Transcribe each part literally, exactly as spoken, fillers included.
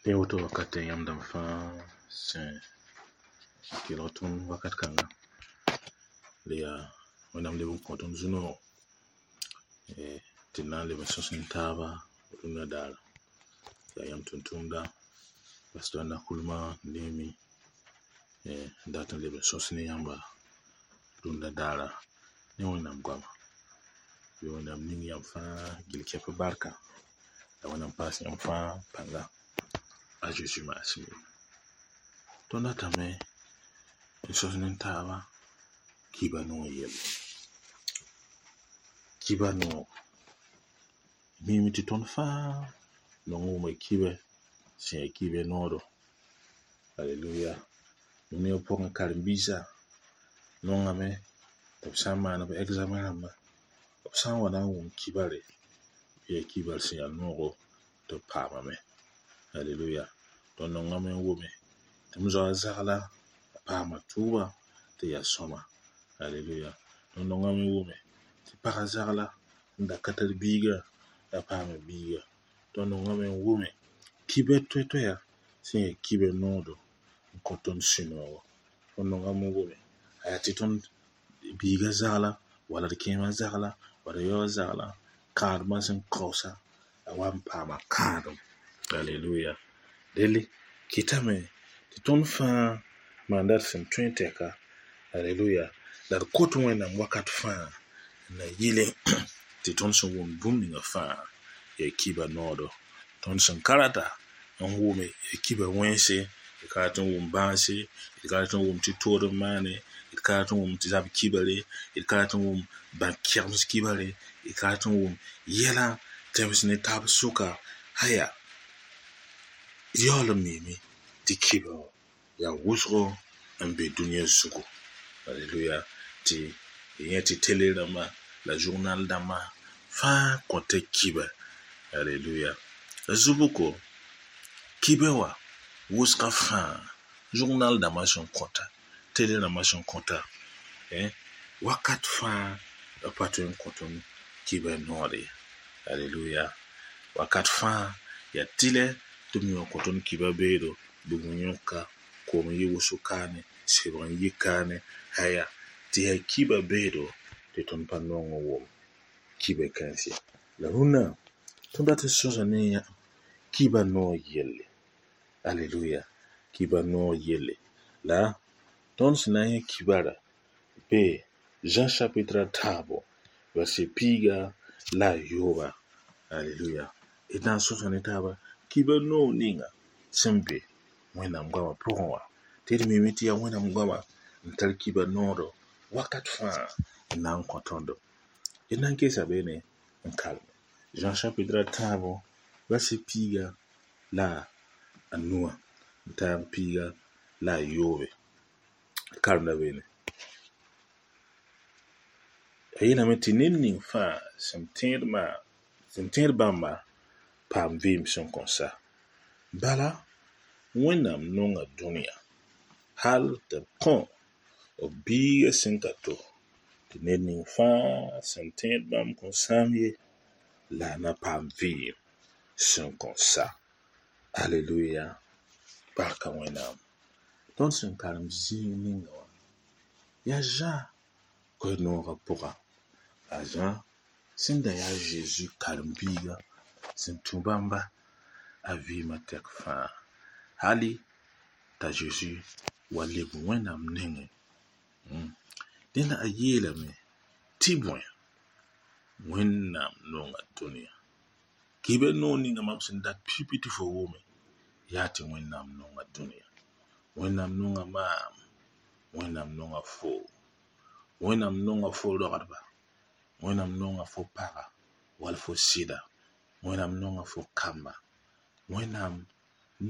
Tẽ woto wakatɛ yãmb dãmb fãa sẽn kelg tõnd wakat kãnga la yaa Wẽnnaam leb n kõ tõnd zu-noog tɩ d na n leb n sõs ne taaba rũndã daara. Yaa yãmb tʋm-tʋmda Pastor Nakulma Nemi n dat n leb n sõs ne yãmba rũndã daara ne Wẽnnaam goama. Bɩ Wẽnnaam ning yãmb fãa gil kɛp barka la Wẽnnaam paas yãmb fãa pãnga a Zeezi maasem ye. Tõnd datame n sõs ne taaba kiba noog yelle. Kiba noog miime tɩ tõnd fãa nong n wʋma kibɛ sẽn yaa kibɛ noodo. Aleluya. Dũniyã pʋgẽ karen-biisã nongame tɩ b sã n maan b examen rãmba b sã n wa na n wʋm kibare bɩ yaa kibar sẽn yaa noogo tɩ b paamame. Aleluya. Tõnd nongame n wʋme tɩ m zoa zagla a paama tʋʋba tɩ yaa sõma. Aleluya. Tõnd nongame n wʋme tɩ pagã zagla n da ka tar biigã a paama biiga. Tõnd nongame n wʋme kibɛ toɛ-toɛya sẽn yaa kibɛ noodo n kõ tõnd sũ-noogo. Tõnd nongame n wʋme a yaa tɩ tõnd biigã zagla wala d kẽemã zagla wala d yaoã zagla kãadmã sẽn kaoosa a wa n paama kãadem. Aleluya. Delle kɩtame tɩ tõnd fãa maanda d sẽn tõe tɛka. Aleluya. La d kot Wẽnnaam wakat fãa n na yɩle tɩ tõnd sẽn wʋmd bũmb ninga fãa yaa kiba noodo. Tõnd sẽn ka rata n wʋme yaa kiba wẽnse, d ka rat n wʋm bãase, d ka rat n wʋm tɩ tood n maane, d ka rat n wʋm tɩ zab kibare, d ka rat n wʋm bã-kɛgems kibare, d ka rat n wʋm yɛla tẽms ne taab sʋka aya yaool n miime tɩ kibã wã yaa wʋsgo n be dũniyã zugu. Aleluya. Tɩ y yẽ tɩ tele rãmba la journal dãmbã fãa kõta kiba. Aleluya. La zu-bʋko kibɛ wã wʋsgã fãa journal dãmbã sẽn kõta tele rãmbã sẽn kõta wakat fãa b pa tõe n kõ tõnd kibɛ noor ye. Aleluya. Wakat fãa yaa tɩlɛ tɩ b yõ kõ tõnd kiba beedo bugum yõka koom n yɩ wʋsg kaane sebg n yɩ kaane aya tɩ yaa kiba beedo tɩ tõnd pa nong n wʋm kibɛ kãens ye. La rũnnã tõnd dat n sõsa ne yã kiba noog yelle. Aleluya. Kiba noog yelle. La tõnd sẽn na n yẽ kibara be Jean chapitre a tãabo verset piiga la a yooba. Aleluya. D na n sõsa ne taaba kiba noog ninga sẽn be Wẽnnaam goamã pʋgẽ wã tɩ d miime tɩ yaa Wẽnnaam goamã n tar kiba noodo wakat fãa n na n kõ tõndo. D na n keesa beene n karem. Jean chapitre a tãabo verset piiga la a nuwã n taag piiga la a yoobe. D karemda beene. A yeelame tɩ ned ning fãa sẽn tẽed maa sẽn tẽed bãmba paam vɩɩm sẽn kõn sa. Bala Wẽnnaam nonga dũniyã hal tɩ b kõ b biigã sẽn ka to tɩ ned ning fãa sẽn tẽed bãmb kõn sãam ye la a na paam vɩɩm sẽn kõn sa. Aleluya. Barka Wẽnnaam. Tõnd sẽn karem zĩig ninga wã yaa Zã koe-noogã pʋga. A Zã sẽn da yaa Zeezi karen-biiga sẽn tũ bãmba a vɩɩmã tɛk fãa hali t'a Zeezi wa leb Wẽnnaam nengẽ. Dẽnda a yeelame tɩ bõe Wẽnnaam nonga dũniyã. Kibɛ noog ninga mam sẽn dat pipi tɩ fo wʋme yaa tɩ Wẽnnaam nonga dũniyã. Wẽnnaam nonga maam, Wẽnnaam nonga fo, Wẽnnaam nonga fo rogdba, Wẽnnaam nonga fo paga wall fo sɩda, Wẽnnaam nonga fo kamba, Wẽnnaam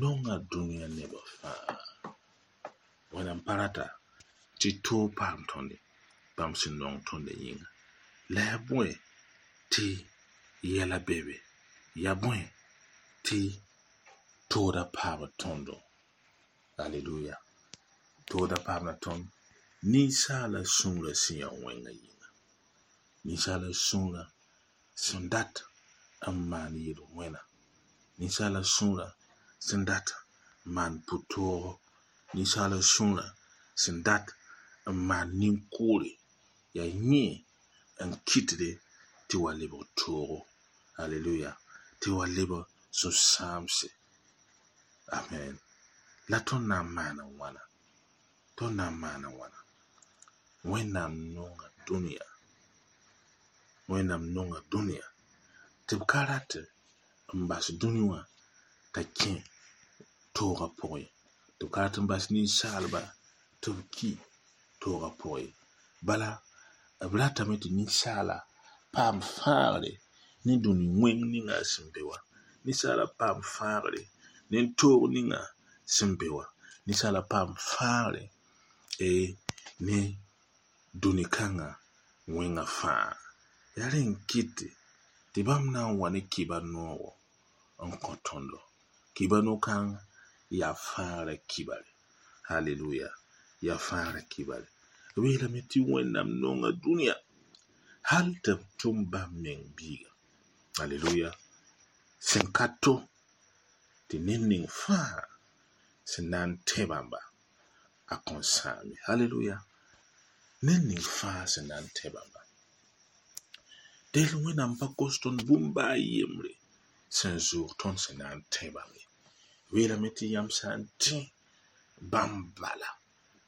nonga dũniyã nebã fãa. Wẽnnaam pa rata tɩ toog paam tõnd bãmb sẽn nong tõndã yĩnga. La yaa bõe tɩ yɛla be be, yaa bõe tɩ tooda paamd tõndo. Aleluya. Tooda paamda tõnd ninsaala sũurã sẽn yaa wẽngã yĩnga. Ninsaala sũurã sẽn dat n maan yel-wẽna. Ninsaala sũurã sẽn dat n maan pʋ-toogo, ninsaala sũurã sẽn dat n maan nin-kʋʋre, yaa yẽ n kɩtde tɩ wa lebg toogo. Aleluya. Tɩ wa lebg sũ-sãamse. Amen. La tõnd na n maana wãna? Tõnd na n maana wãna? Wẽnnaam nonga dũniyã. Wẽnnaam nonga dũniyã tɩ b ka rat n bas dũni wã t'a kẽ toogã pʋgẽ, tɩ b ka rat n bas ninsaalba tɩ b ki toogã pʋgẽ. Bala b ratame tɩ ninsaala paam fãagre ne dũni wẽng ninga sẽn be wã. Ninsaala paam fãagre ne toog ninga sẽn be wã. Ninsaala paam fãagre ne dũni kãngã wẽngã fãa. Yaa rẽ n kɩte tɩ bãmb na n wa ne kiba noogo n kõ tõndo. Kiba no-kãng yaa fãagrã kibare. Haleluya. Yaa fãagrã kibare. B yeelame tɩ Wẽnnaam nonga dũniyã hal tɩ b tʋm bãmb meng biiga. Aleluya. Sẽn ka to tɩ ned ning fãa sẽn na n tẽ bãmba a kõn sãam ye. Haleluya. Ned ning fãa sẽn na n tẽ bãmba. Dẽ Wẽnnaam pa kos tõnd bũmb baa yembre sẽn zoog tõnd sẽn na n tẽ bãmb ye. B yeelame tɩ yãmb sã n tẽ bãmb bala.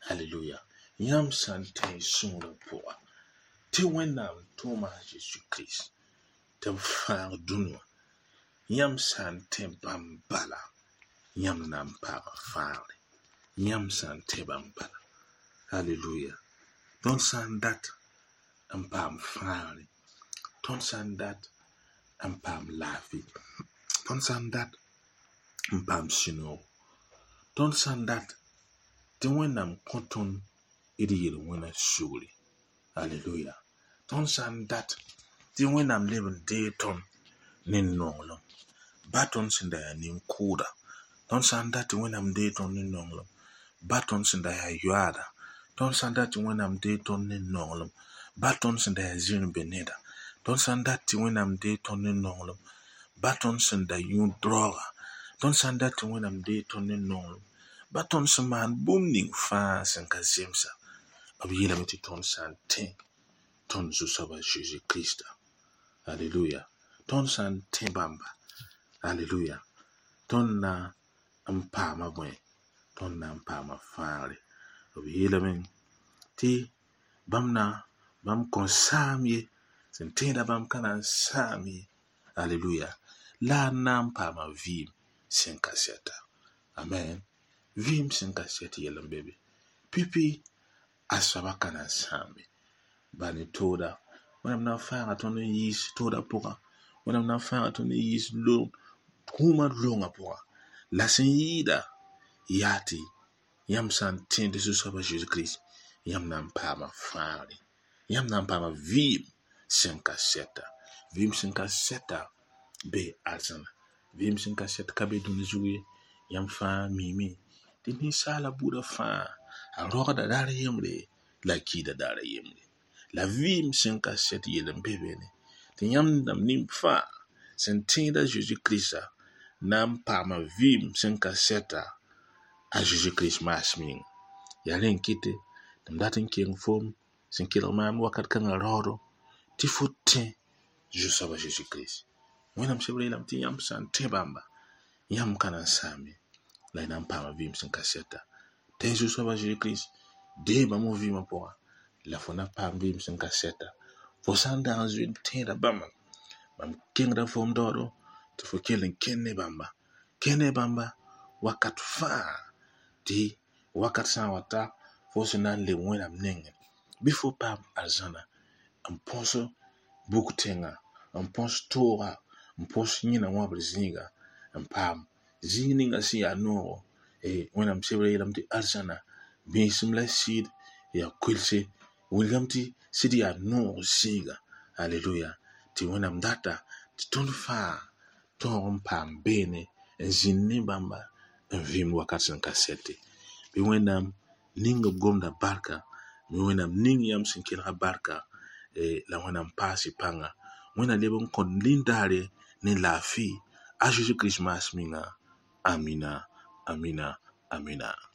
Haleluya. Yãmb sã n tẽ y sũurã pʋga tɩ Wẽnnaam tʋʋma a Zeezi Kirist tɩ b fãag dũni wã. Yãmb sã n tẽ bãmb bala, yãmb na n paama fãagre. Yãmb sã n tẽ bãmb bala. Haleluya. Tõnd sã n dat n paam fãagre, tõnd sã n dat n paam laafɩ, tõnd sã n dat n paam sũ-noogo, tõnd sã n dat tɩ Wẽnnaam kõ tõnd d yel-wẽna sugri. Aleluya. Tõnd sã n dat tɩ Wẽnnaam leb n deeg tõnd ne nonglem, ba tõnd sẽn da yaa nin-kʋʋda. Tõnd sã n dat tɩ Wẽnnaam deeg tõnd ne nonglem, ba tõnd sẽn da yaa yoaada. Tõnd sã n dat tɩ Wẽnnaam deeg tõnd ne nonglem, ba tõnd sẽn da yaa zĩr-be-neda. Tõnd sã n dat tɩ Wẽnnaam deeg tõnd ne nonglem, ba tõnd sẽn da yũ draooga. Tõnd sã n dat tɩ Wẽnnaam deeg tõnd ne nonglem, ba tõnd sẽn maan bũmb ning fãa sẽn ka zemsa. B yeelame tɩ tõnd sã n tẽ tõnd Zu-soaba Zeezi Kirista. Aleluya. Tõnd sã n tẽ bãmba. Aleluya. Tõnd na n paama bõe? Tõnd na n paama fãagre. B yeelame tɩ bãmb na bãmb kõn saam ye, sẽn tẽeda bãmb ka na n sãam ye. Aleluya. La a na n paama vɩɩm sẽn ka sɛta. Amen. Vɩɩm sẽn ka sɛt yɛl n be be. Pipi a soaba ka na n sãam ye. Ba ne tooda. Wẽnnaam na n fãaga tõnd n yiis tooda pʋga. Wẽnnaam na n fãaga tõnd n yiis kũumã loongã pʋga. La sẽn yɩɩda yaa tɩ yãmb sã n tẽed Zu-soaba Zeezi Kirist, yãmb na n paama fãagre. Yãmb na n paama vɩɩm sẽn ka sɛta. Vɩɩm sẽn ka sɛta be arzãna. Vɩɩm sẽn ka sɛt ka be dũni zug ye. Yãmb fãa miime tɩ ninsaala buudã fãa a rogda daar yembre la a kiida daar yembre. La vɩɩm sẽn ka sɛt yell n be beene tɩ yãmb dãmb nin fãa sẽn tẽed a Zeezi Kirista na n paama vɩɩm sẽn ka sɛta a Zeezi Kirist maasem yĩnga. Yaa rẽ n kɩte tɩ m dat n keng foom sẽn kelg maam wakat kãngã raoodo tɩ fo tẽ Zu-soaba Zeezi Kirist. Wẽnnaam sebrã yeelame tɩ yãmb sã n tẽ bãmba, yãmb ka na n sãam ye, la y na n paama vɩɩm sẽn ka sɛta. Tẽ Zu-soaba Zeezi Kirist, deeg bãmb f vɩɩmã pʋga, la fo na paam vɩɩm sẽn ka sɛta. Fo sã n dag n zoe n tẽeda bãmba, mam kengda foom daoodo tɩ fo kell n kẽnd ne bãmba. Kẽnd ne bãmba wakat fãa tɩ wakat sã n wa ta fo sẽn na n leb Wẽnnaam nengẽ bɩ fo paam arzãna n põs buk tẽngã, n põs tooga, n põs yẽna wãbr zĩiga, n paam zĩig ninga sẽn yaa noogo. Wẽnnaam sebrã yeelame tɩ arzãna bĩisem la sɩd yaa koelse. Wilgame tɩ sɩd yaa noog zĩiga. Aleluya. Tɩ Wẽnnaam data tɩ tõnd fãa tõog n paam beene n zĩnd ne bãmba n vɩɩm wakat sẽn ka sɛte. Bɩ Wẽnnaam ning b gomda barka, bɩ Wẽnnaam ning yãmb sẽn kelga barka, la Wẽnnaam paas y pãnga. Wẽnnaam leb n kõ lindaare ne laafɩ a Zeezi Kirist maasem yĩnga. Amina, amina, amina.